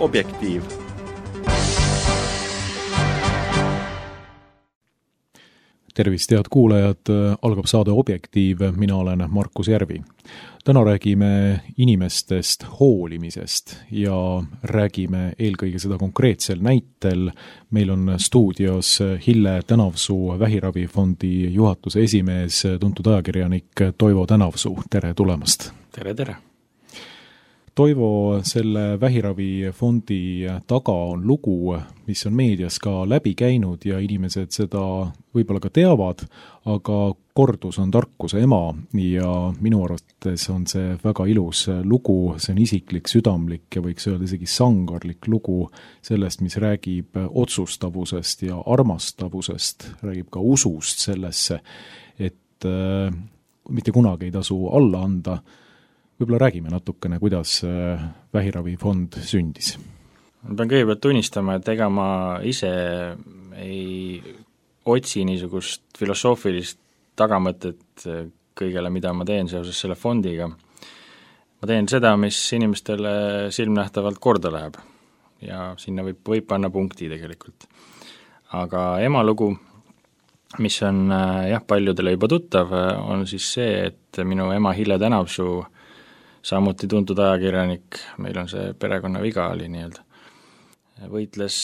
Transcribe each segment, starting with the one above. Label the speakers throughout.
Speaker 1: Objektiiv.
Speaker 2: Tervist, head kuulajad, algab saade Objektiiv, mina olen Markus Järvi. Täna räägime inimestest hoolimisest ja räägime eelkõige seda konkreetsel näitel. Meil on stuudios Hille Tänavsuu, Vähiravifondi juhatuse esimees, tuntud ajakirjanik Toivo Tänavsuu. Tere tulemast!
Speaker 3: Tere!
Speaker 2: Toivo, selle Vähiravifondi taga on lugu, mis on meedias ka läbi käinud ja inimesed seda võib-olla ka teavad, aga kordus on tarkuse ema ja minu arvates on see väga ilus lugu, see on isiklik, südamlik ja võiks öelda isegi sangarlik lugu sellest, mis räägib otsustavusest ja armastavusest, räägib ka usust sellesse, et mitte kunagi ei tasu alla anda. Võib-olla räägime natukene, kuidas Vähiravifond sündis.
Speaker 3: Ma pean kõigepealt tunnistama, et ega ma ise ei otsi niisugust filosoofilist tagamõtet kõigele, mida ma teen seoses selle fondiga. Ma teen seda, mis inimestele silmnähtavalt korda läheb ja sinna võib panna punkti tegelikult. Aga ema lugu, mis on paljudele juba tuttav, on siis see, et minu ema Hille Tänavsuu, samuti tuntud ajakirjanik, meil on see perekonnaviga oli nii-öelda, võitles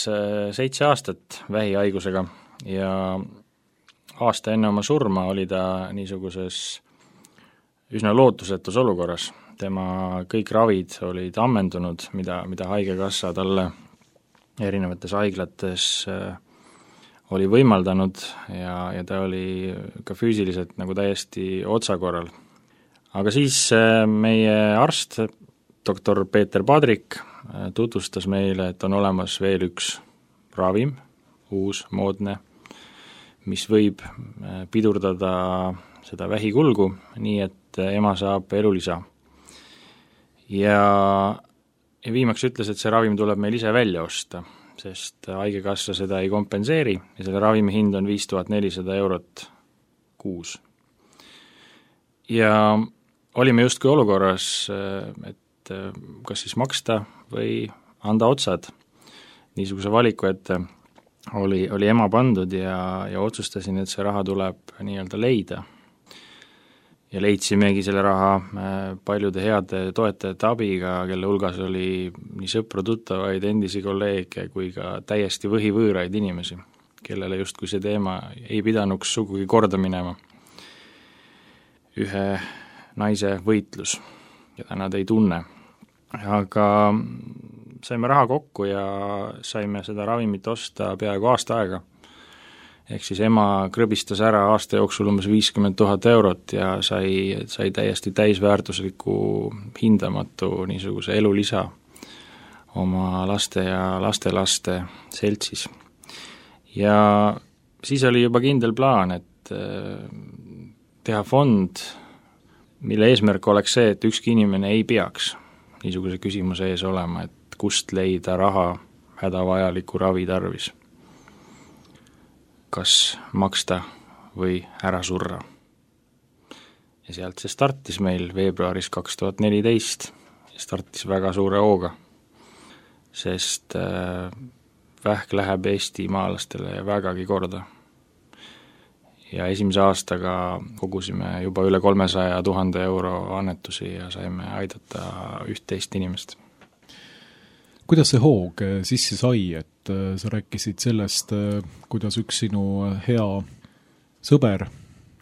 Speaker 3: 7 aastat vähihaigusega ja aasta enne oma surma oli ta niisuguses üsna lootusetus olukorras. Tema kõik ravid olid ammendunud, mida haigekassa talle erinevates haiglates oli võimaldanud ja ta oli ka füüsiliselt nagu täiesti otsakorral. Aga siis meie arst, doktor Peeter Padrik, tutvustas meile, et on olemas veel üks ravim, uus, moodne, mis võib pidurdada seda vähikulgu, nii et ema saab elulisa. Ja viimaks ütles, et see ravim tuleb meil ise välja osta, sest haigekassa seda ei kompenseeri ja selle ravimi hind on 5400 eurot kuus. Ja olime justkui olukorras, et kas siis maksta või anda otsad. Niisuguse valiku ette oli ema pandud ja otsustasin, et see raha tuleb nii-öelda leida. Ja leidsimegi selle raha paljude heade toetajate abiga, kelle hulgas oli nii sõpru, tuttavaid, endisi kolleege kui ka täiesti võhivõõraid inimesi, kellele justkui see teema ei pidanuks sugugi korda minema. Ühe naise võitlus, keda nad ei tunne. Aga saime raha kokku ja saime seda ravimit osta peaaegu aasta aega. Ehk siis ema krõbistas ära aasta jooksul umbes 50 000 eurot ja sai täiesti täisväärtusliku hindamatu niisuguse elulisa oma laste ja lastelaste seltsis. Ja siis oli juba kindel plaan, et teha fond, mille eesmärk oleks see, et ükski inimene ei peaks niisuguse küsimuse ees olema, et kust leida raha hädavajaliku ravi tarvis. Kas maksta või ära surra. Ja sealt see startis meil veebruaris 2014 ja startis väga suure hooga, sest vähk läheb Eesti maalastele vägagi korda. Ja esimese aastaga kogusime juba üle 300 000 euro annetusi ja saime aidata 11 inimest.
Speaker 2: Kuidas see hoog sisse sai, et sa rääkisid sellest, kuidas üks sinu hea sõber,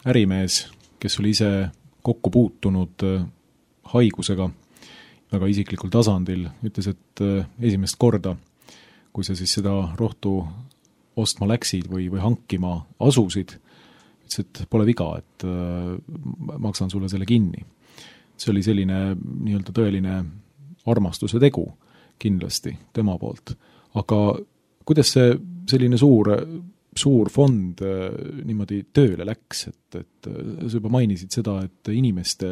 Speaker 2: ärimees, kes oli ise kokku puutunud haigusega väga isiklikul tasandil, ütles, et esimest korda, kui sa siis seda rohtu ostma läksid või hankima asusid, ütles, et pole viga, et maksan sulle selle kinni. See oli selline nii-öelda tõeline armastuse tegu kindlasti tema poolt. Aga kuidas see selline suur fond niimoodi tööle läks, et sa juba mainisid seda, et inimeste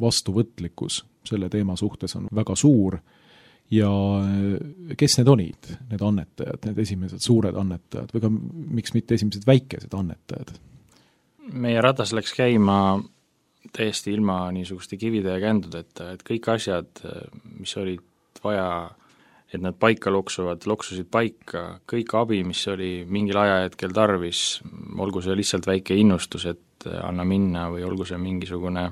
Speaker 2: vastuvõtlikkus selle teema suhtes on väga suur ja kes need olid, need annetajad, need esimesed suured annetajad või ka miks mitte esimesed väikesed annetajad?
Speaker 3: Meie ratas läks käima täiesti ilma niisuguste kivide ja kändudeta, et kõik asjad, mis olid vaja et nad paika loksusid paika, kõik abi, mis oli mingil ajahetkel tarvis, olgu see lihtsalt väike innustus, et anna minna, või olgu see mingisugune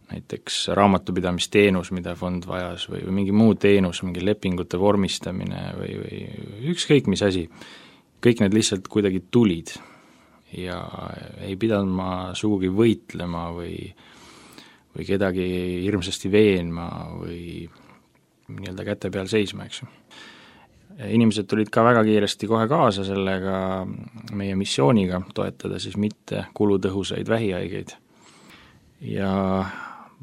Speaker 3: näiteks raamatupidamisteenus, mida fond vajas, või mingi muu teenus, mingi lepingute vormistamine või ükskõik mis asi, kõik need lihtsalt kuidagi tulid ja ei pidanud ma sugugi võitlema või kedagi hirmsasti veenma või nii-öelda käte peal seisma, eks ju. Inimesed tulid ka väga kiiresti kohe kaasa sellega meie missiooniga toetada siis mitte kulutõhusaid vähihaigeid. Ja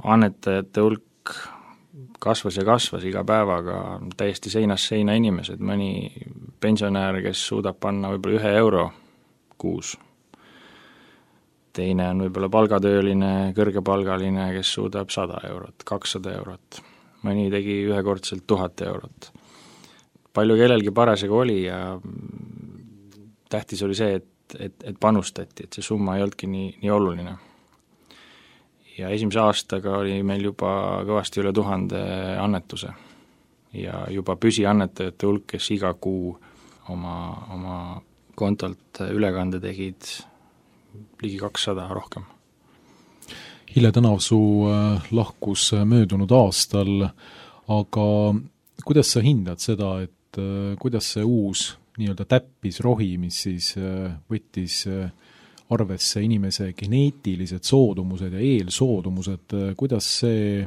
Speaker 3: annetajate hulk kasvas ja kasvas iga päevaga, täiesti seinast seina inimesed, mõni pensionär, kes suudab panna võib-olla 1 euro kuus, teine on võib-olla palgatööline, kõrgepalgaline, kes suudab 100 eurot, 200 eurot, mõni tegi ühekordselt 1000 eurot. Palju kellelgi parasjagu oli ja tähtis oli see, et panustati, et see summa ei olnudki nii oluline. Ja esimese aastaga oli meil juba kõvasti üle 1000 annetuse ja juba püsiannetajate hulk, kes iga kuu oma kontolt ülekande tegid ligi 200 rohkem.
Speaker 2: Hille Tänavsuu lahkus möödunud aastal, aga kuidas sa hindad seda, et kuidas see uus nii-öelda täppisrohi, mis siis võttis arvesse inimese geneetilised soodumused ja eelsoodumused, kuidas see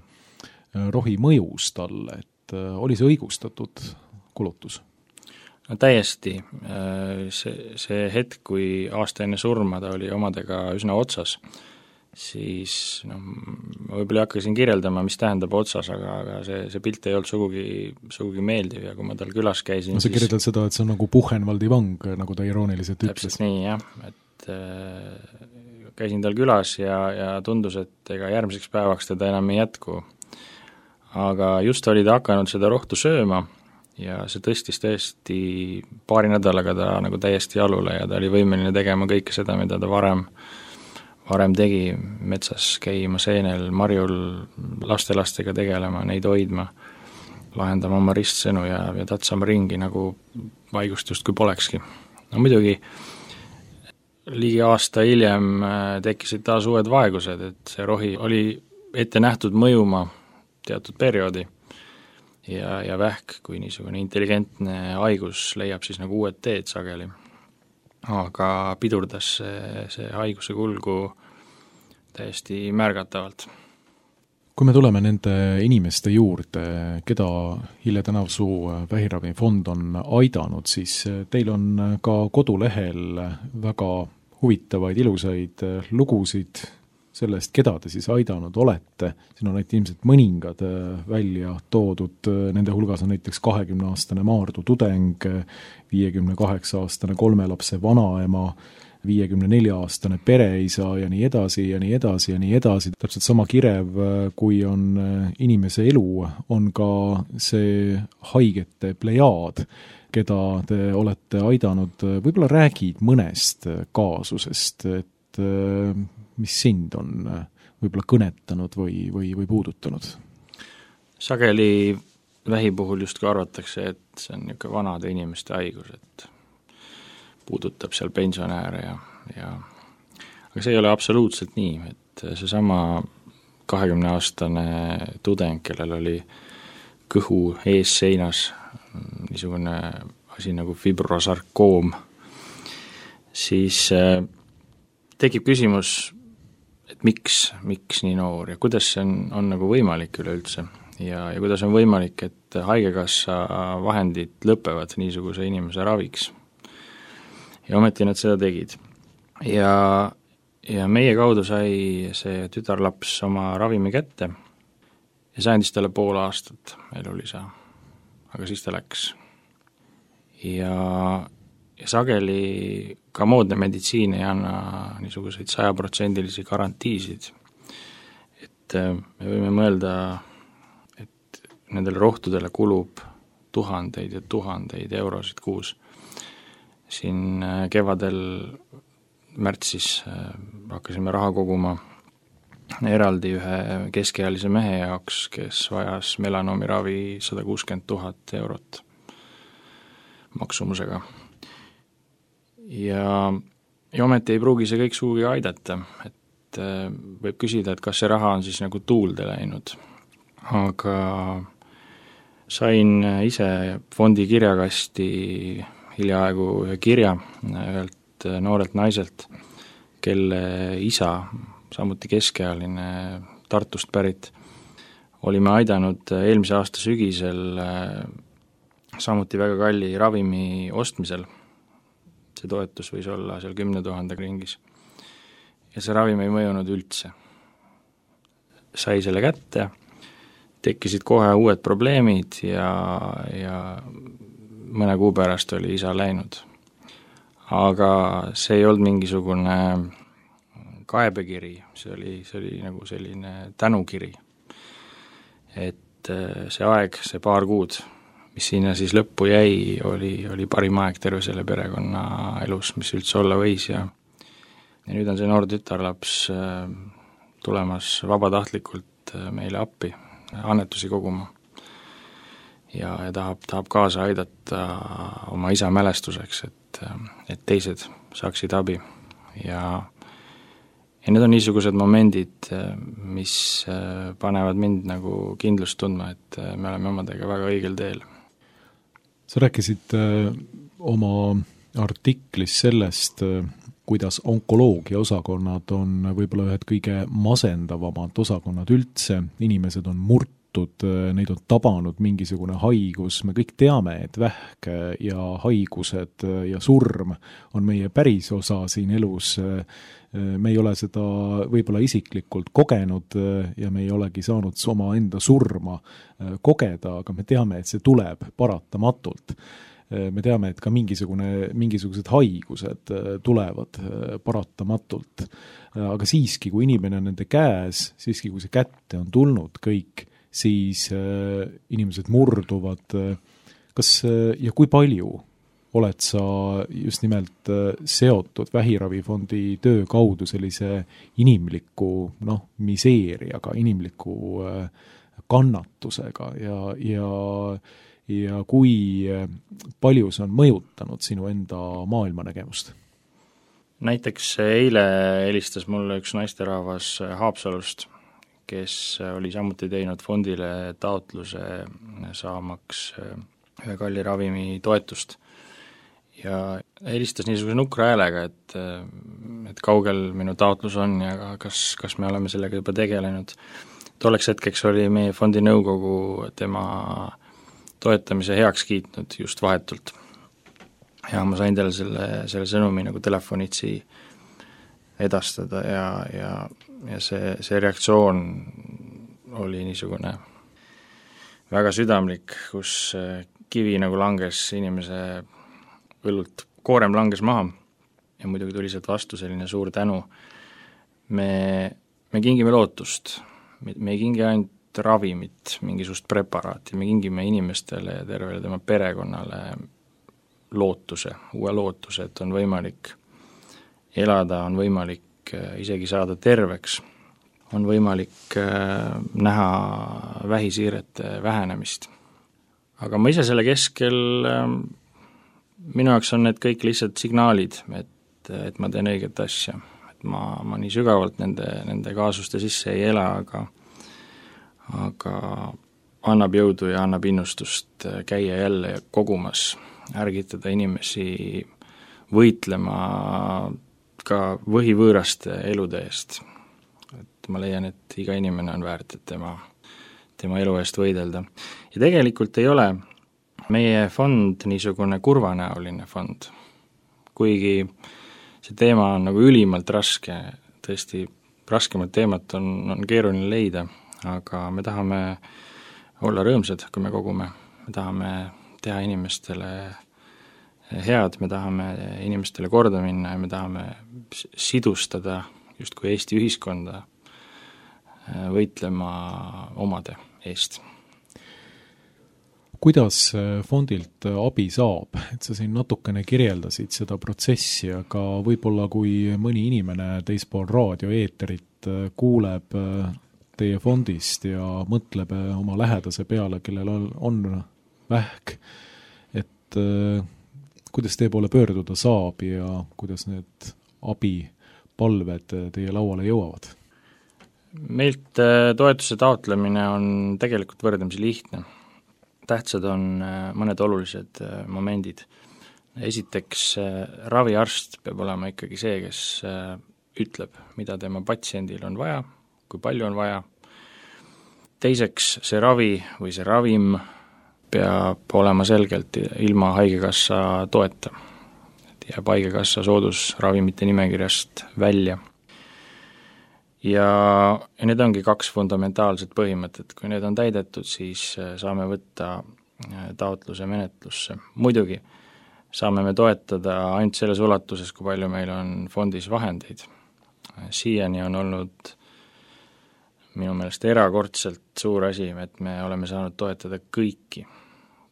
Speaker 2: rohi mõjus talle, et oli see õigustatud kulutus?
Speaker 3: No täiesti. See hetk, kui aasta enne surma ta oli omadega üsna otsas, siis ma võib-olla ei hakka siin kirjeldama, mis tähendab otsas, aga see pilt ei olnud sugugi meeldiv ja kui ma tal külas käisin,
Speaker 2: no sa kirjeldad seda, et see on nagu Buchenwaldi vang, nagu ta irooniliselt ütles.
Speaker 3: Täpselt nii, jah, et käisin tal külas ja tundus, et ega järgmiseks päevaks teda enam ei jätku. Aga just oli ta hakanud seda rohtu sööma ja see tõstis tõesti paari nädalaga ta nagu täiesti jalule ja ta oli võimeline tegema kõike seda, mida ta varem tegi, metsas käima, seenel, marjul, lastelastega tegelema, neid hoidma, lahendama oma ristsõnu ja tatsama ringi nagu vaigust justkui polekski. No muidugi ligi aasta hiljem tekkisid taas uued vaegused, et see rohi oli ette nähtud mõjuma teatud perioodi ja vähk, kui niisugune intelligentne haigus leiab siis nagu uued teed sageli. Aga pidurdas see haiguse kulgu täiesti märgatavalt.
Speaker 2: Kui me tuleme nende inimeste juurde, keda Hille Tänavsuu vähiravifond on aidanud, siis teil on ka kodulehel väga huvitavaid, ilusaid lugusid sellest, keda te siis aidanud olete. Siin on ilmselt mõningad välja toodud, nende hulgas on näiteks 20-aastane Maardu tudeng, 58-aastane 3 lapse vanaema, 54-aastane pereisa ja nii edasi ja nii edasi ja nii edasi. Täpselt sama kirev, kui on inimese elu, on ka see haigete plejaad, keda te olete aidanud. Võib-olla räägid mõnest kaasusest, et mis sind on võib-olla kõnetanud või puudutanud?
Speaker 3: Sageli vähi puhul justkui arvatakse, et see on niisugune vanade inimeste haigus, et puudutab seal pensionääre ja aga see ei ole absoluutselt nii, et seesama 20-aastane tudeng, kellel oli kõhu ees seinas niisugune asi nagu fibrosarkoom, siis tekib küsimus, et miks nii noor ja kuidas see on nagu võimalik üleüldse ja kuidas on võimalik, et haigekassa vahendid lõpevad niisuguse inimese raviks. Ja ometi nad seda tegid. Ja meie kaudu sai see tütarlaps oma ravimi kätte ja see andis talle pool aastat elulisa, aga siis ta läks. Ja sageli ka moodne meditsiin ei anna niisuguseid 100% garantiisid. Et me võime mõelda, et nendele rohtudele kulub tuhandeid ja tuhandeid eurosid kuus. Siin kevadel märtsis hakkasime raha koguma eraldi ühe keskealise mehe jaoks, kes vajas melanoomiravi 160 000 eurot maksumusega. Ja ometi ei pruugi see kõik sugugi aidata, et võib küsida, et kas see raha on siis nagu tuulde läinud. Aga sain ise fondi kirjakasti hiljaaegu ühe kirja ühelt noorelt naiselt, kelle isa, samuti keskealine Tartust pärit, olime aidanud eelmise aasta sügisel samuti väga kalli ravimi ostmisel. See toetus võis olla seal 10 000 ringis. Ja see ravim ei mõjunud üldse. Sai selle kätte, tekkisid kohe uued probleemid ja mõne kuu pärast oli isa läinud. Aga see ei olnud mingisugune kaebekiri, see oli nagu selline tänukiri. Et see aeg, see paar kuud, mis sinna siis lõppu jäi, oli parim aeg terve selle perekonna elus, mis üldse olla võis ja nüüd on see noor tütarlaps tulemas vabatahtlikult meile appi, annetusi koguma ja tahab kaasa aidata oma isa mälestuseks, et teised saaksid abi ja need on niisugused momendid, mis panevad mind nagu kindlust tundma, et me oleme omadega väga õigel teel.
Speaker 2: Sa rääkisid oma artiklis sellest, kuidas onkoloogia osakonnad on võib-olla ühed kõige masendavamad osakonnad üldse, inimesed on murtud, neid on tabanud mingisugune haigus, me kõik teame, et vähk ja haigused ja surm on meie päris osa siin elus, me ei ole seda võib-olla isiklikult kogenud ja me ei olegi saanud oma enda surma kogeda, aga me teame, et see tuleb paratamatult. Me teame, et ka mingisugused haigused tulevad paratamatult. Aga siiski, kui inimene on nende käes, siiski kui see kätte on tulnud kõik, siis inimesed murduvad. Kas ja kui palju oled sa just nimelt seotud Vähiravifondi töö kaudu sellise inimliku miseeriaga, inimliku kannatusega ja kui palju see on mõjutanud sinu enda maailmanägemust?
Speaker 3: Näiteks eile helistas mulle üks naisterahvas Haapsalust, kes oli samuti teinud fondile taotluse saamaks ühe kalli ravimi toetust. Ja helistas niisuguse nukra häälega, et kaugel minu taotlus on ja kas me oleme sellega juba tegelenud. Tolleks hetkeks oli meie fondi nõukogu tema toetamise heaks kiitnud just vahetult. Ja ma sain talle selle sõnumi nagu telefonitsi edastada ja see reaktsioon oli niisugune väga südamlik, kus kivi nagu langes inimese õllult, koorem langes maha ja muidugi tuli sealt vastu selline suur tänu. Me kingime lootust, me ei kingi ainult ravimit, mingisugust preparaati, me kingime inimestele ja tervele tema perekonnale lootuse, uue lootuse, et on võimalik elada, on võimalik isegi saada terveks, on võimalik näha vähisiirete vähenemist. Aga ma ise selle keskel, minu jaoks on need kõik lihtsalt signaalid, et ma teen õiget asja. Et ma nii sügavalt nende kaasuste sisse ei ela, aga annab jõudu ja annab innustust käia jälle kogumas, ärgitada inimesi võitlema ka võhivõõraste elude eest. Et ma leian, et iga inimene on väärt, et tema elu eest võidelda. Ja tegelikult ei ole meie fond niisugune kurvanäoline fond, kuigi see teema on nagu ülimalt raske, tõesti raskemat teemat on keeruline leida, aga me tahame olla rõõmsad, kui me kogume, me tahame teha inimestele head, me tahame inimestele korda minna ja me tahame sidustada justkui Eesti ühiskonda võitlema omade eest.
Speaker 2: Kuidas fondilt abi saab? Et sa siin natukene kirjeldasid seda protsessi, aga võib-olla kui mõni inimene teispool raadioeeterit kuuleb teie fondist ja mõtleb oma lähedase peale, kellel on vähk, et kuidas teie poole pöörduda saab ja kuidas need abipalved teie lauale jõuavad?
Speaker 3: Meilt toetuse taotlemine on tegelikult võrdlemisi lihtne. Tähtsad on mõned olulised momendid. Esiteks, raviarst peab olema ikkagi see, kes ütleb, mida tema patsiendil on vaja, kui palju on vaja. Teiseks, see ravi või see ravim peab olema selgelt ilma haigekassa toeta. Jääb haigekassa soodusravimite nimekirjast välja. Ja need ongi 2 fundamentaalset põhimõtet. Kui need on täidetud, siis saame võtta taotluse menetlusse. Muidugi saame me toetada ainult selles ulatuses, kui palju meil on fondis vahendeid. Siiani on olnud minu meelest erakordselt suur asi, et me oleme saanud toetada kõiki,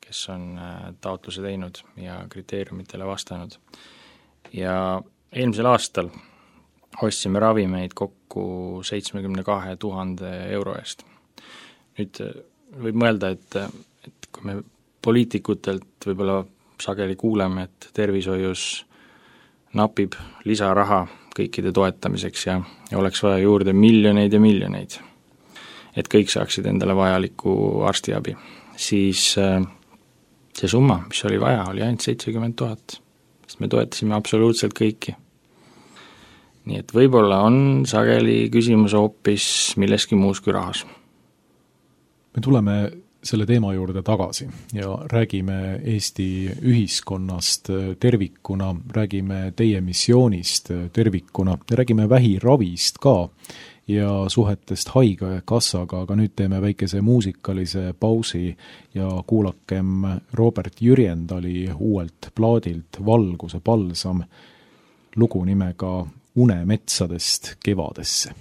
Speaker 3: kes on taotluse teinud ja kriteeriumitele vastanud. Ja eelmisel aastal ostsime ravimeid kokku 72 000 euro eest. Nüüd võib mõelda, et kui me poliitikutelt võib-olla sageli kuuleme, et tervishoius napib lisaraha kõikide toetamiseks ja oleks vaja juurde miljoneid ja miljoneid, et kõik saaksid endale vajaliku arstiabi, siis see summa, mis oli vaja, oli ainult 70 000, sest me toetasime absoluutselt kõiki. Nii et võib-olla on sageli küsimus hoopis milleski muus kui rahas.
Speaker 2: Me tuleme selle teema juurde tagasi ja räägime Eesti ühiskonnast tervikuna, räägime teie missioonist tervikuna, räägime vähiravist ka ja suhetest haigekassaga, aga nüüd teeme väikese muusikalise pausi ja kuulakem Robert Jürjendali uuelt plaadilt Valguse palsam lugu nimega Unemetsadest kevadesse.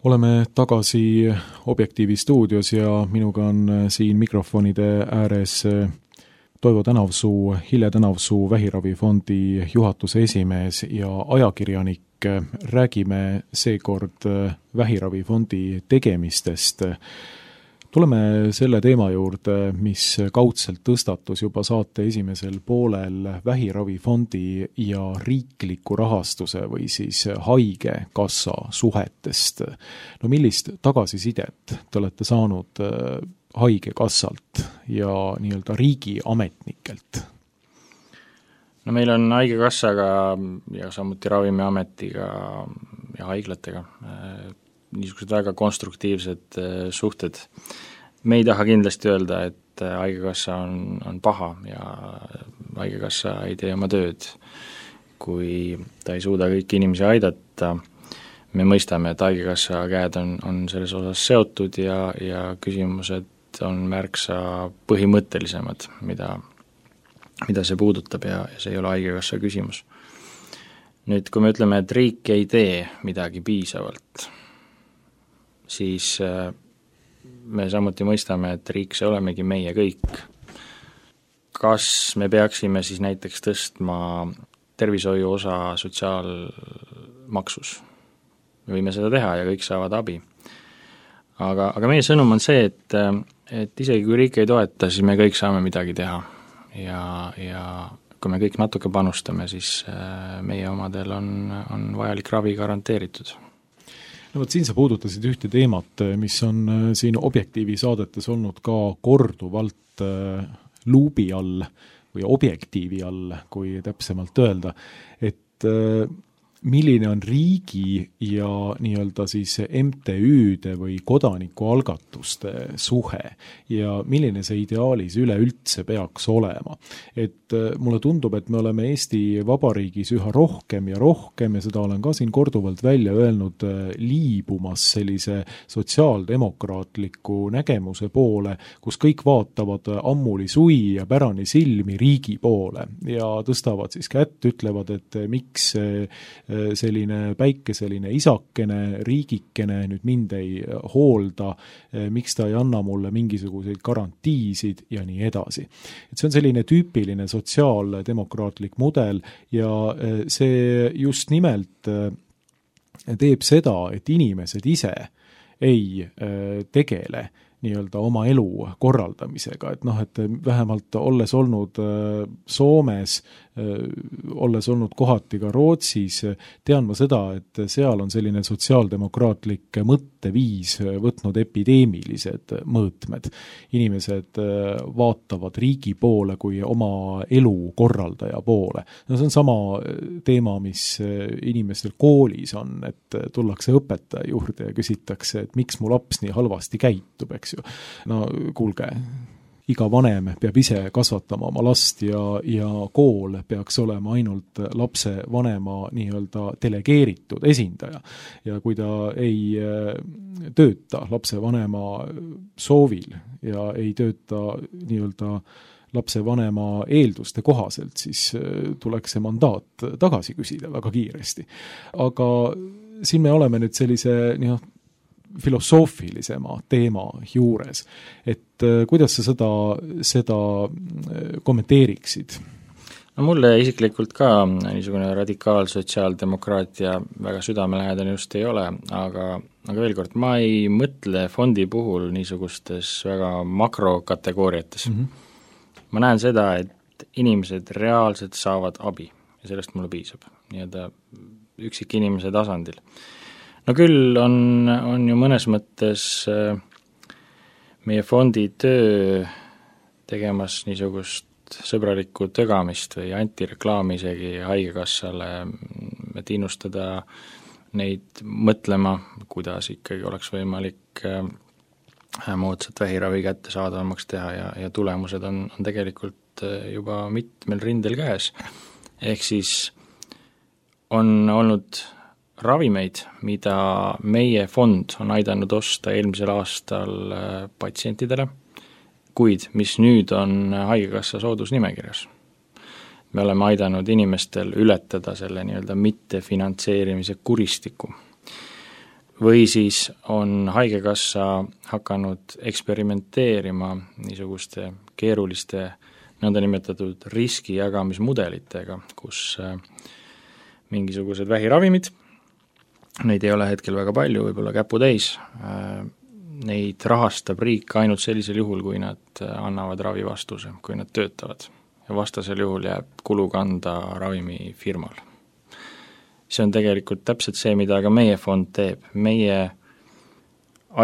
Speaker 2: oleme tagasi Objektiivi stuudios ja minuga on siin mikrofonide ääres Toivo Tänavsuu, Hille Tänavsuu Vähiravifondi juhatuse esimees ja ajakirjanik. Räägime seekord Vähiravifondi tegemistest. Tuleme selle teema juurde, mis kaudselt tõstatus juba saate esimesel poolel Vähiravifondi ja riikliku rahastuse või siis haigekassa suhetest. No millist tagasisidet te olete saanud haigekassalt ja nii-öelda riigiametnikelt?
Speaker 3: No meil on haigekassaga ja samuti Ravimiametiga ja haiglatega niisugused väga konstruktiivsed suhted. Me ei taha kindlasti öelda, et haigekassa on paha ja haigekassa ei tee oma tööd, kui ta ei suuda kõiki inimesi aidata. Me mõistame, et haigekassa käed on selles osas seotud ja küsimused on märksa põhimõttelisemad, mida see puudutab ja see ei ole haigekassa küsimus. Nüüd, kui me ütleme, et riik ei tee midagi piisavalt, siis me samuti mõistame, et riik see olemegi meie kõik. Kas me peaksime siis näiteks tõstma tervishoiu osa sotsiaalmaksus? Me võime seda teha ja kõik saavad abi. Aga meie sõnum on see, et isegi kui riik ei toeta, siis me kõik saame midagi teha. Ja kui me kõik natuke panustame, siis meie omadel on vajalik ravi garanteeritud.
Speaker 2: No siin sa puudutasid ühte teemat, mis on siin Objektiivi saadetes olnud ka korduvalt luubi all või Objektiivi all, kui täpsemalt öelda, et milline on riigi ja nii-öelda siis MTÜ-de või kodanikualgatuste suhe ja milline see ideaalis üleüldse peaks olema. Et mulle tundub, et me oleme Eesti Vabariigis üha rohkem ja seda olen ka siin korduvalt välja öelnud, liibumas sellise sotsiaaldemokraatliku nägemuse poole, kus kõik vaatavad ammuli sui ja pärani silmi riigi poole ja tõstavad siis kätt, ütlevad, et miks selline päikeseline isakene, riigikene nüüd mind ei hoolda, miks ta ei anna mulle mingisuguseid garantiisid ja nii edasi. Et see on selline tüüpiline sotsiaaldemokraatlik mudel ja see just nimelt teeb seda, et inimesed ise ei tegele nii-öelda oma elu korraldamisega, et vähemalt olles olnud Soomes, olles olnud kohati ka Rootsis, tean ma seda, et seal on selline sotsiaaldemokraatlik mõtteviis võtnud epideemilised mõõtmed. Inimesed vaatavad riigi poole kui oma elu korraldaja poole. No see on sama teema, mis inimestel koolis on, et tullakse õpetaja juurde ja küsitakse, et miks mu laps nii halvasti käitub, eks ju. No kuulge, iga vanem peab ise kasvatama oma last ja kool peaks olema ainult lapse vanema nii-öelda delegeeritud esindaja. Ja kui ta ei tööta lapse vanema soovil ja ei tööta nii-öelda lapse vanema eelduste kohaselt, siis tuleks see mandaat tagasi küsida väga kiiresti. Aga siin me oleme nüüd sellise filosoofilisema teema juures, et kuidas sa seda kommenteeriksid?
Speaker 3: No mulle isiklikult ka niisugune radikaalsotsiaaldemokraatia väga südamelähedane just ei ole, aga veel kord, ma ei mõtle fondi puhul niisugustes väga makrokategooriates. Ma näen seda, et inimesed reaalselt saavad abi ja sellest mulle piisab, nii-öelda üksik inimese tasandil. No küll on ju mõnes mõttes meie fondi töö tegemas niisugust sõbralikku tögamist või antireklaami isegi haigekassale, et innustada neid mõtlema, kuidas ikkagi oleks võimalik moodsat vähiravi kättesaadavamaks teha ja tulemused on tegelikult juba mitmel rindel käes. Ehk siis on olnud ravimeid, mida meie fond on aidanud osta eelmisel aastal patsientidele, kuid mis nüüd on haigekassa soodusnimekirjas. Me oleme aidanud inimestel ületada selle nii-öelda mittefinantseerimise kuristiku. või siis on haigekassa hakanud eksperimenteerima niisuguste keeruliste nõndanimetatud riskijagamismudelitega, kus mingisugused vähiravimid, neid ei ole hetkel väga palju, võib-olla käputäis, neid rahastab riik ainult sellisel juhul, kui nad annavad ravivastuse, kui nad töötavad. Ja vastasel juhul jääb kulu kanda ravimifirmal. See on tegelikult täpselt see, mida ka meie fond teeb. Meie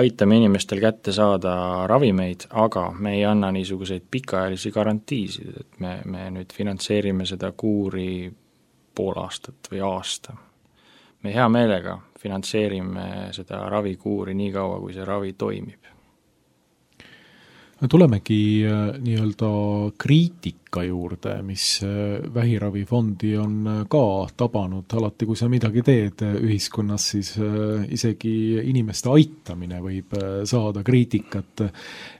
Speaker 3: aitame inimestel kätte saada ravimeid, aga me ei anna niisuguseid pikaajalisi garantiisid, et me nüüd finantseerime seda kuuri pool aastat või aasta. Me hea meelega finantseerime seda ravikuuri nii kaua, kui see ravi toimib.
Speaker 2: Tulemegi nii-öelda kriitika juurde, mis vähiravifondi on ka tabanud. Alati, kui sa midagi teed ühiskonnas, siis isegi inimeste aitamine võib saada kriitikat.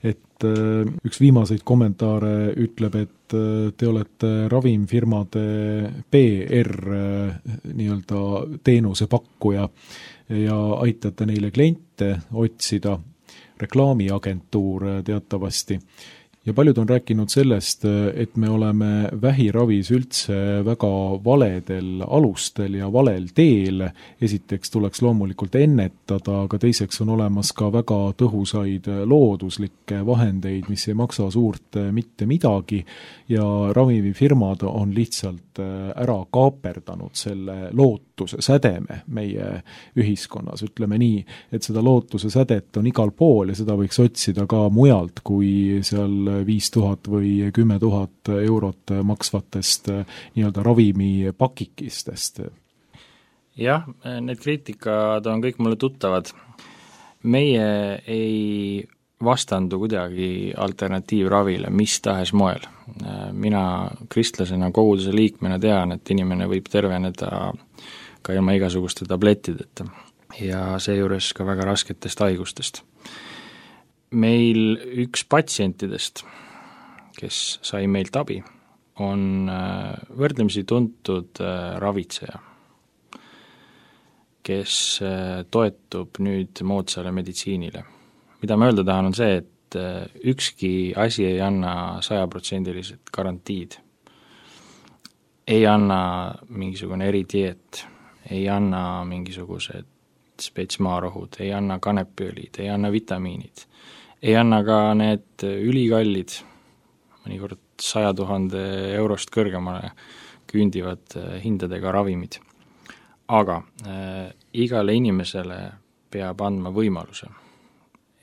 Speaker 2: Et üks viimaseid kommentaare ütleb, et te olete ravimfirmade PR nii-öelda teenuse pakkuja ja aitate neile kliente otsida, reklaamiagentuur teatavasti. Ja paljud on rääkinud sellest, et me oleme vähiravis üldse väga valedel alustel ja valel teel. Esiteks tuleks loomulikult ennetada, aga teiseks on olemas ka väga tõhusaid looduslikke vahendeid, mis ei maksa suurt mitte midagi ja ravimifirmad on lihtsalt ära kaaperdanud selle lootuse sädeme meie ühiskonnas. Ütleme nii, et seda lootuse sädet on igal pool ja seda võiks otsida ka mujalt kui seal 5000 või 10 000 eurot maksvatest nii-öelda ravimipakikistest.
Speaker 3: Jah, need kriitikad on kõik mulle tuttavad. Meie ei vastandu kuidagi alternatiivravile mis tahes moel. Mina kristlasena, koguduse liikmena tean, et inimene võib terveneda ka ilma igasuguste tablettideta ja seejuures ka väga rasketest haigustest. Meil üks patsientidest, kes sai meilt abi, on võrdlemisi tuntud ravitseja, kes toetub nüüd moodsale meditsiinile. Mida ma öelda tahan on see, et ükski asi ei anna 100% garantiid. Ei anna mingisugune eridieet, ei anna mingisugused spetsmaarohud, ei anna kanepiõlid, ei anna vitamiinid. Ei anna ka need ülikallid, mõnikord 100 000 eurost kõrgemale küündivad hindadega ravimid. Aga igale inimesele peab andma võimaluse.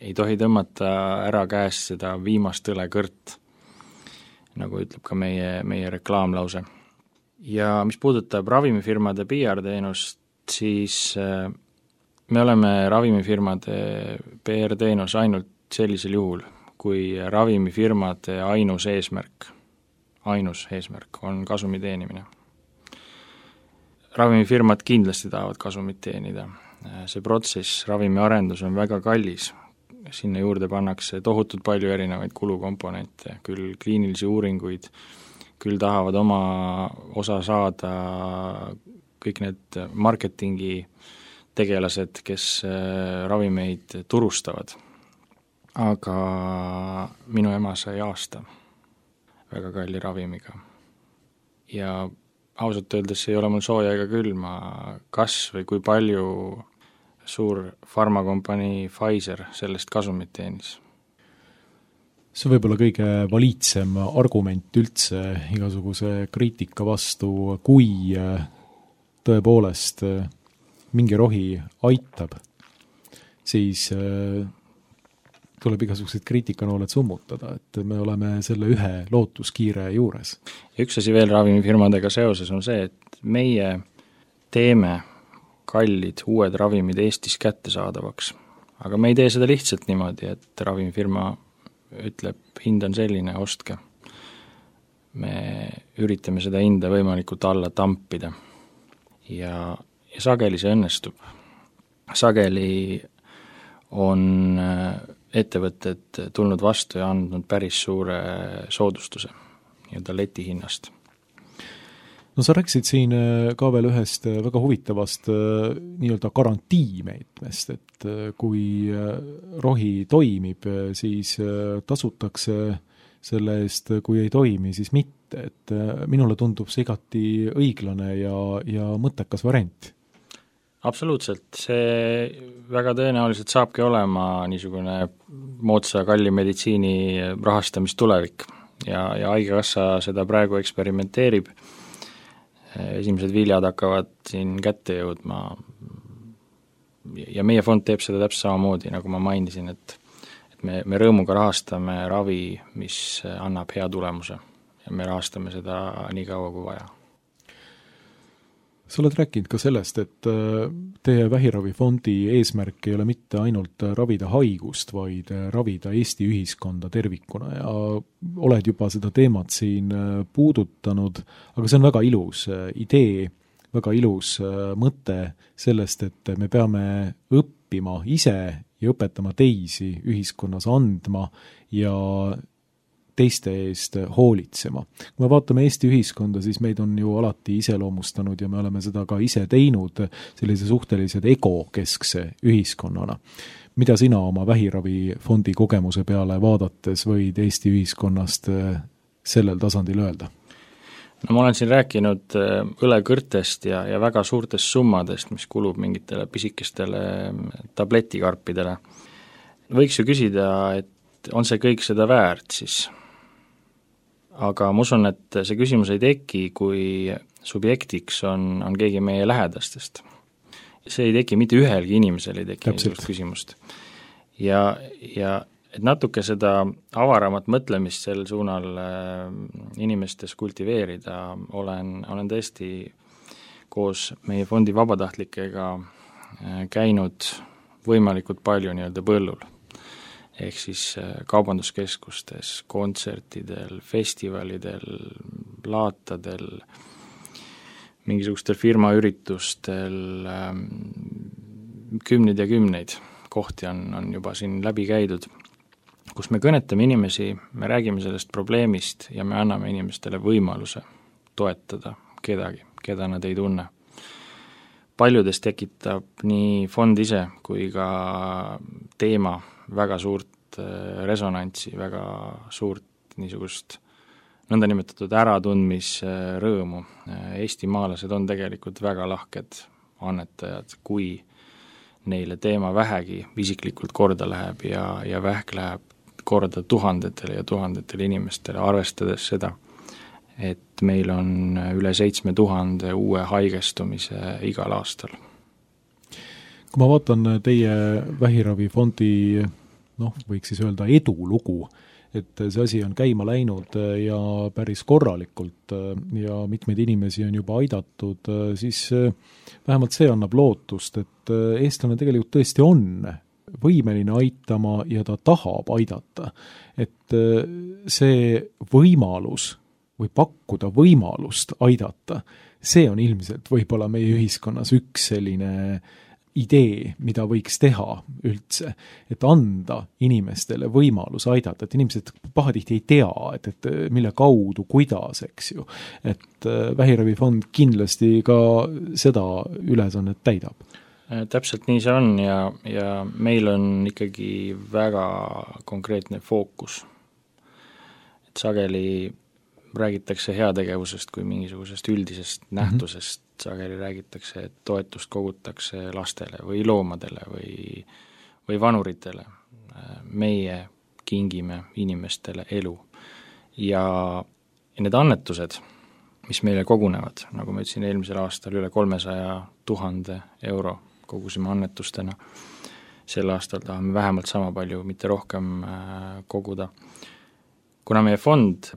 Speaker 3: Ei tohi tõmmata ära käest seda viimast õlekõrt, nagu ütleb ka meie reklaamlause. Ja mis puudutab ravimifirmade PR-teenust, siis me oleme ravimifirmade PR-teenus ainult sellisel juhul, kui ravimifirmade ainus eesmärk on kasumi teenimine. Ravimifirmad kindlasti tahavad kasumit teenida. See protsess, ravimiarendus on väga kallis. Sinna juurde pannakse tohutult palju erinevaid kulukomponente, küll kliinilisi uuringuid, küll tahavad oma osa saada kõik need marketingi tegelased, kes ravimeid turustavad. Aga minu ema sai aasta väga kalli ravimiga. Ja ausalt öeldes ei ole mul sooja ega külma, kas või kui palju suur farmakompanii Pfizer sellest kasumit teenis.
Speaker 2: See on võib-olla kõige validsem argument üldse igasuguse kriitika vastu, kui tõepoolest mingi rohi aitab, siis tuleb igasugused kriitikanooled summutada, et me oleme selle ühe lootuskiire juures.
Speaker 3: Ja üks asi veel ravimifirmadega seoses on see, et meie teeme kallid uued ravimid Eestis kättesaadavaks. Aga me ei tee seda lihtsalt niimoodi, et ravimifirma ütleb, hind on selline, ostke. Me üritame seda hinda võimalikult alla tampida. Ja sageli see õnnestub. Sageli on ettevõtted tulnud vastu ja andnud päris suure soodustuse nii-öelda letihinnast.
Speaker 2: no sa rääkisid siin ka veel ühest väga huvitavast nii-öelda garantiimeetmest, et kui rohi toimib, siis tasutakse selle eest, kui ei toimi, siis mitte, et minule tundub see igati õiglane ja mõttekas variant.
Speaker 3: Absoluutselt, see väga tõenäoliselt saabki olema niisugune moodsa kalli meditsiini rahastamistulevik ja haigekassa seda praegu eksperimenteerib. Esimesed viljad hakkavad siin kätte jõudma ja meie fond teeb seda täpselt samamoodi, nagu ma mainisin, et me rõõmuga rahastame ravi, mis annab hea tulemuse ja me rahastame seda nii kaua kui vaja.
Speaker 2: Sa oled rääkinud ka sellest, et teie vähiravifondi eesmärk ei ole mitte ainult ravida haigust, vaid ravida Eesti ühiskonda tervikuna ja oled juba seda teemat siin puudutanud, aga see on väga ilus idee, väga ilus mõte sellest, et me peame õppima ise ja õpetama teisi ühiskonnas andma ja teiste eest hoolitsema. Kui me vaatame Eesti ühiskonda, siis meid on ju alati iseloomustanud ja me oleme seda ka ise teinud sellise suhteliselt egokeskse ühiskonnana. Mida sina oma vähiravifondi kogemuse peale vaadates võid Eesti ühiskonnast sellel tasandil öelda?
Speaker 3: No ma olen siin rääkinud õlekõrtest ja väga suurtest summadest, mis kulub mingitele pisikestele tabletikarpidele. Võiks ju küsida, et on see kõik seda väärt siis? Aga ma usun, et see küsimus ei teki, kui subjektiks on keegi meie lähedastest. See ei teki mitte ühelgi inimesel, ei teki niisugust küsimust. Ja et natuke seda avaramat mõtlemist sel suunal inimestes kultiveerida, olen tõesti koos meie fondi vabatahtlikega käinud võimalikult palju nii-öelda põllul. Ehk siis kaubanduskeskustes, kontsertidel, festivalidel, laatadel, mingisugustel firmaüritustel, kümneid ja kümneid kohti on juba siin läbi käidud, kus me kõnetame inimesi, me räägime sellest probleemist ja me anname inimestele võimaluse toetada kedagi, keda nad ei tunne. Paljudes tekitab nii fond ise kui ka teema väga suurt resonantsi, väga suurt niisugust nõndanimetatud äratundmisrõõmu. Eestimaalased on tegelikult väga lahked annetajad, kui neile teema vähegi isiklikult korda läheb ja vähk läheb korda tuhandetele ja tuhandetele inimestele, arvestades seda, et meil on üle 7000 uue haigestumise igal aastal.
Speaker 2: Kui ma vaatan teie vähiravifondi, võiks siis öelda edulugu, et see asi on käima läinud ja päris korralikult ja mitmeid inimesi on juba aidatud, siis vähemalt see annab lootust, et eestlane tegelikult tõesti on võimeline aitama ja ta tahab aidata. Et see võimalus või pakkuda võimalust aidata, see on ilmselt võib-olla meie ühiskonnas üks selline idee, mida võiks teha üldse, et anda inimestele võimalus aidata, et inimesed pahatihti ei tea, et mille kaudu, kuidas, eks ju. Et vähiravifond kindlasti ka seda ülesannet täidab.
Speaker 3: Täpselt nii see on ja meil on ikkagi väga konkreetne fookus. Et sageli räägitakse heategevusest kui mingisugusest üldisest nähtusest, sageli räägitakse, et toetust kogutakse lastele või loomadele või vanuritele. Meie kingime inimestele elu. Ja need annetused, mis meile kogunevad, nagu ma ütlesin eelmisel aastal üle 300 000 euro kogusime annetustena, sel aastal tahame vähemalt sama palju, mitte rohkem koguda. Kuna meie fond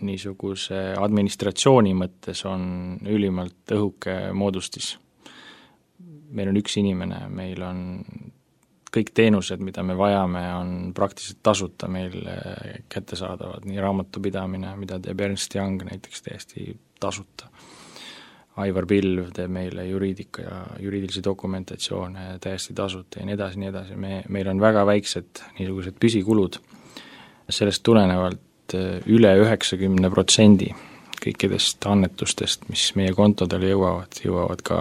Speaker 3: niisuguse administratsiooni mõttes on ülimalt õhuke moodustis. Meil on üks inimene, meil on kõik teenused, mida me vajame, on praktiliselt tasuta meil kättesaadavad, nii raamatupidamine, mida teeb Ernst Young näiteks täiesti tasuta. Aivar Pilv teeb meile juriidika ja juriidilisi dokumentatsioone täiesti tasuta ja nii edasi. Meil on väga väiksed niisugused püsikulud. Sellest tulenevalt üle 90% kõikidest annetustest, mis meie kontodele jõuavad ka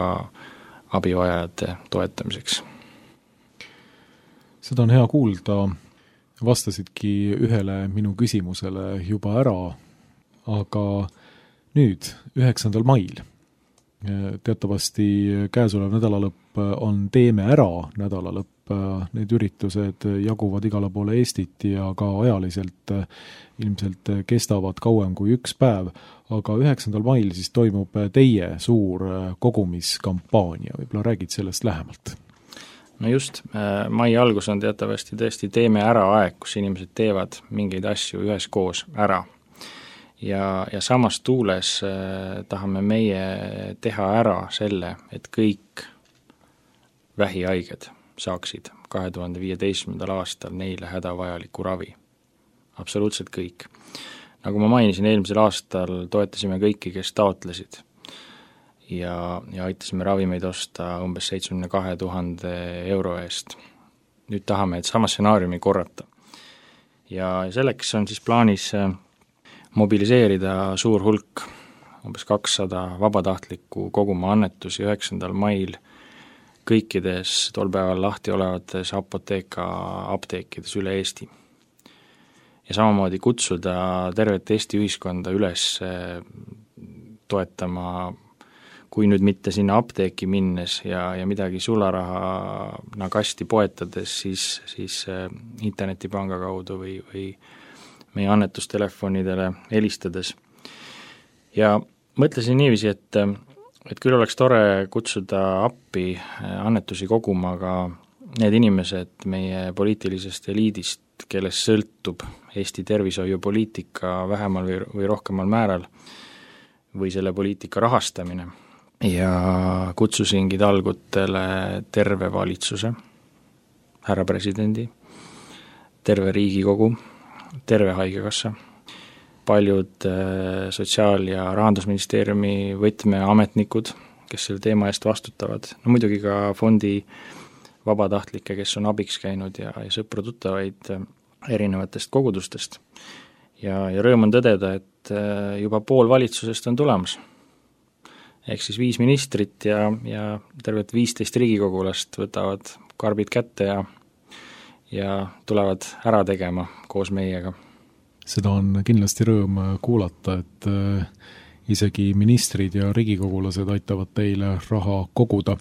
Speaker 3: abivajajate toetamiseks.
Speaker 2: Seda on hea kuulda, vastasidki ühele minu küsimusele juba ära, aga nüüd, 9. mail, teatavasti käesolev nädalalõpp on Teeme ära nädalalõpp, need üritused jaguvad igale poole Eestit ja ka ajaliselt ilmselt kestavad kauem kui üks päev, aga 9. mail siis toimub teie suur kogumiskampaania, võib-olla räägid sellest lähemalt?
Speaker 3: No just, mai algus on teatavasti tõesti Teeme ära aeg, kus inimesed teevad mingeid asju üheskoos ära. Ja samas tuules tahame meie teha ära selle, et kõik vähihaiged saaksid 2015. aastal neile hädavajaliku ravi. Absoluutselt kõik. Nagu ma mainisin, eelmisel aastal toetasime kõiki, kes taotlesid ja aitasime ravimeid osta umbes 72 000 euro eest. Nüüd tahame, et sama stsenaariumi korrata. Ja selleks on siis plaanis mobiliseerida suur hulk, umbes 200 vabatahtlikku koguma annetusi 9. mail kõikides tol päeval lahti olevates apteekides üle Eesti. Ja samamoodi kutsuda tervet Eesti ühiskonda üles toetama, kui nüüd mitte sinna apteeki minnes ja midagi sularahana kasti poetades, siis internetipanga kaudu või meie annetustelefonidele helistades. Ja mõtlesin niiviisi, et küll oleks tore kutsuda appi annetusi koguma ka need inimesed meie poliitilisest eliidist, kellest sõltub Eesti tervishoiupoliitika vähemal või rohkemal määral või selle poliitika rahastamine. Ja kutsusingi talgutele terve valitsuse, härra presidendi, terve Riigikogu, terve haigekassa, paljud Sotsiaal- ja Rahandusministeeriumi võtmeametnikud, kes selle teema eest vastutavad, no muidugi ka fondi vabatahtlikke, kes on abiks käinud ja sõpru-tuttavaid erinevatest kogudustest. Ja rõõm on tõdeda, et juba pool valitsusest on tulemas. Ehk siis 5 ministrit ja tervet 15 riigikogulast võtavad karbid kätte ja tulevad ära tegema koos meiega.
Speaker 2: Seda on kindlasti rõõm kuulata, et isegi ministrid ja riigikogulased aitavad teile raha koguda.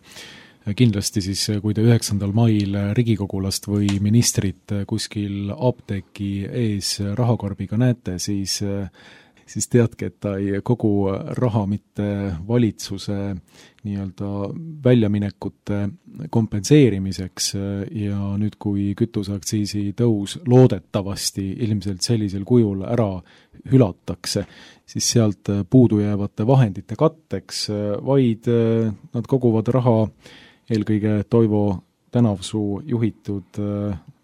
Speaker 2: Kindlasti siis, kui te 9. mail riigikogulast või ministrit kuskil apteeki ees rahakarbiga näete, siis teadke, et ta ei kogu raha mitte valitsuse nii-öelda väljaminekute kompenseerimiseks ja nüüd, kui kütuseaktsiisi tõus loodetavasti ilmselt sellisel kujul ära hülatakse, siis sealt puudujäävate vahendite katteks, vaid nad koguvad raha eelkõige Toivo Tänavsuu juhitud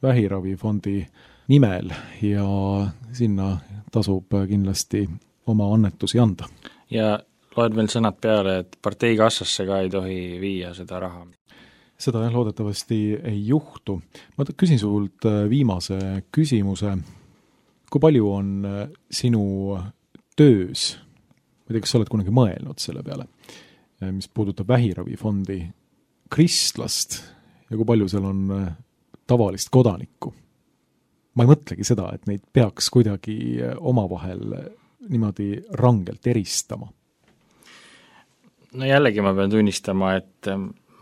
Speaker 2: vähiravifondi nimel ja sinna tasub kindlasti oma annetusi anda.
Speaker 3: Ja loed veel sõnad peale, et parteikassasse ka ei tohi viia seda raha.
Speaker 2: Seda loodetavasti ei juhtu. Ma küsin sult viimase küsimuse. Kui palju on sinu töös, ma ei tea, kas sa oled kunagi mõelnud selle peale, mis puudutab vähiravifondi, kristlast ja kui palju seal on tavalist kodanikku? Ma ei mõtlegi seda, et neid peaks kuidagi omavahel niimoodi rangelt eristama.
Speaker 3: No jällegi ma pean tunnistama, et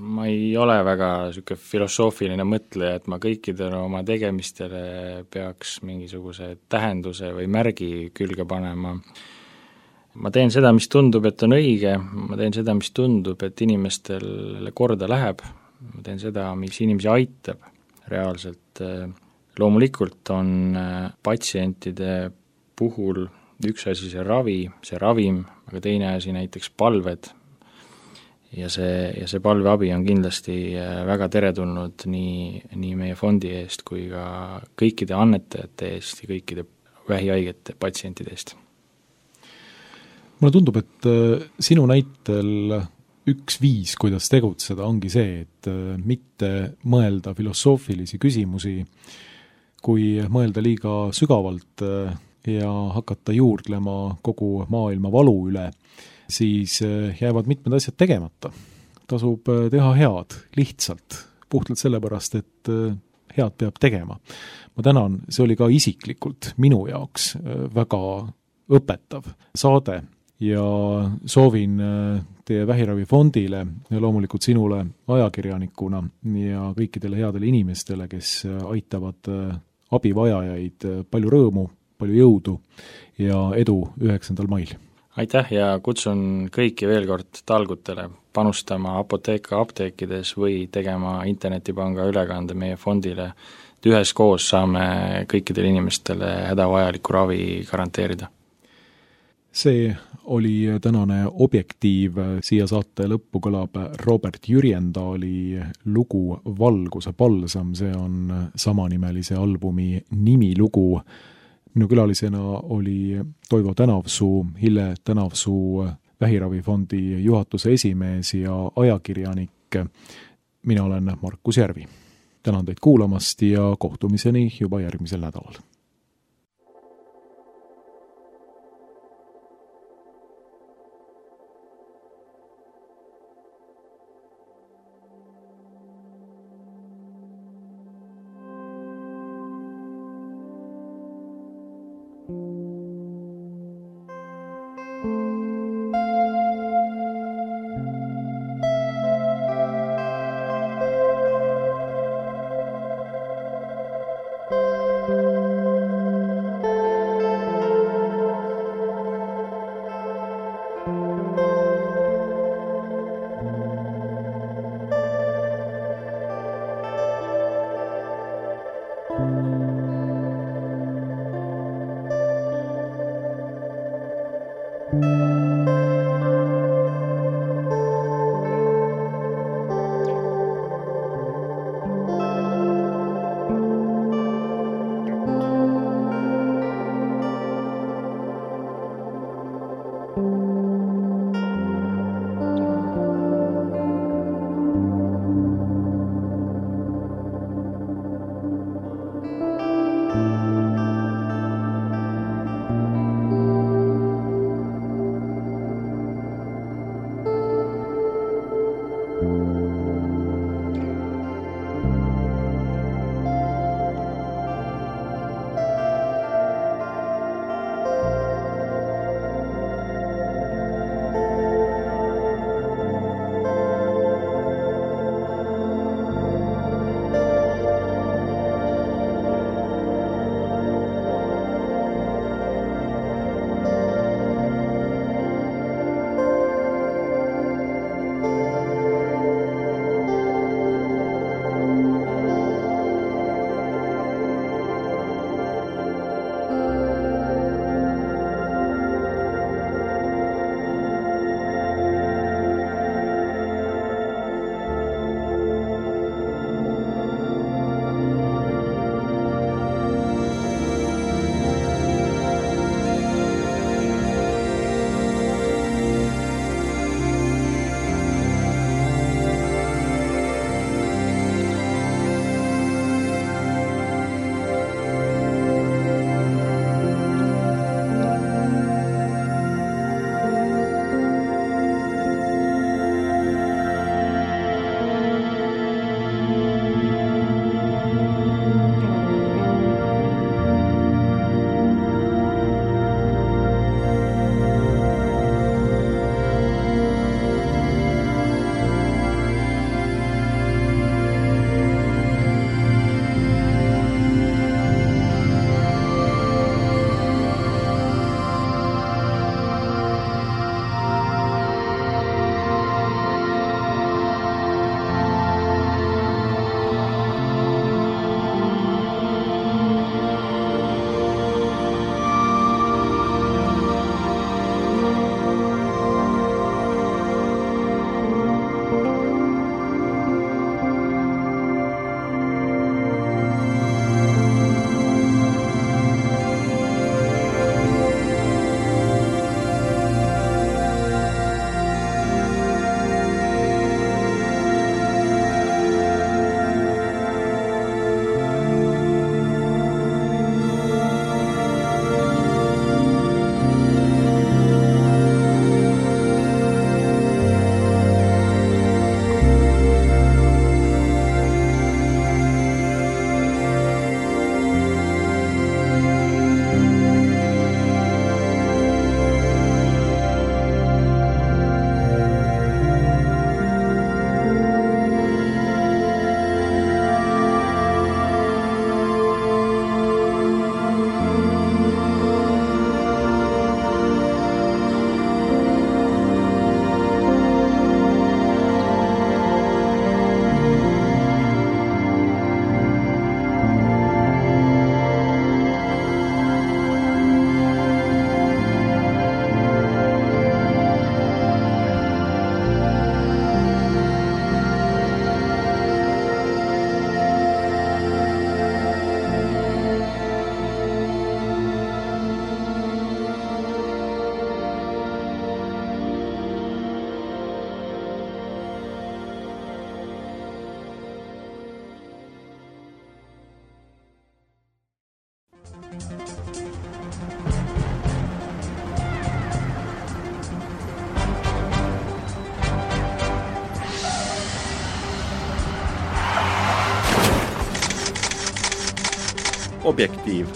Speaker 3: ma ei ole väga selline filosoofiline mõtleja, et ma kõikidele oma tegemistele peaks mingisuguse tähenduse või märgi külge panema. Ma teen seda, mis tundub, et on õige, ma teen seda, mis tundub, et inimestele korda läheb, ma teen seda, mis inimesi aitab reaalselt. Loomulikult on patsientide puhul üks asi see ravi, see ravim, aga teine asi näiteks palved ja see palveabi on kindlasti väga teretulnud nii meie fondi eest kui ka kõikide annetajate eest ja kõikide vähihaigete patsientide eest.
Speaker 2: Mulle tundub, et sinu näitel üks viis, kuidas tegutseda, ongi see, et mitte mõelda filosoofilisi küsimusi, kui mõelda liiga sügavalt ja hakata juurdlema kogu maailma valu üle, siis jäävad mitmed asjad tegemata. Tasub teha head, lihtsalt, puhtalt sellepärast, et head peab tegema. Ma tänan, see oli ka isiklikult minu jaoks väga õpetav saade ja soovin teie Vähiravifondile ja loomulikult sinule ajakirjanikuna ja kõikidele headele inimestele, kes aitavad abivajajaid, palju rõõmu, palju jõudu ja edu 9. mail.
Speaker 3: Aitäh ja kutsun kõiki veel kord talgutele panustama Apotheka apteekides või tegema internetipanga ülekande meie fondile, et üheskoos saame kõikidele inimestele hädavajaliku ravi garanteerida.
Speaker 2: See oli tänane Objektiiv, siia saate lõppu kõlab Robert Jürjendaali lugu Valguse palsam, see on samanimelise albumi nimilugu. Minu külalisena oli Toivo Tänavsuu, Hille Tänavsuu Vähiravifondi juhatuse esimees ja ajakirjanik. Mina olen Markus Järvi. Tänan teid kuulamast ja kohtumiseni juba järgmisel nädalal.
Speaker 1: Objektiiv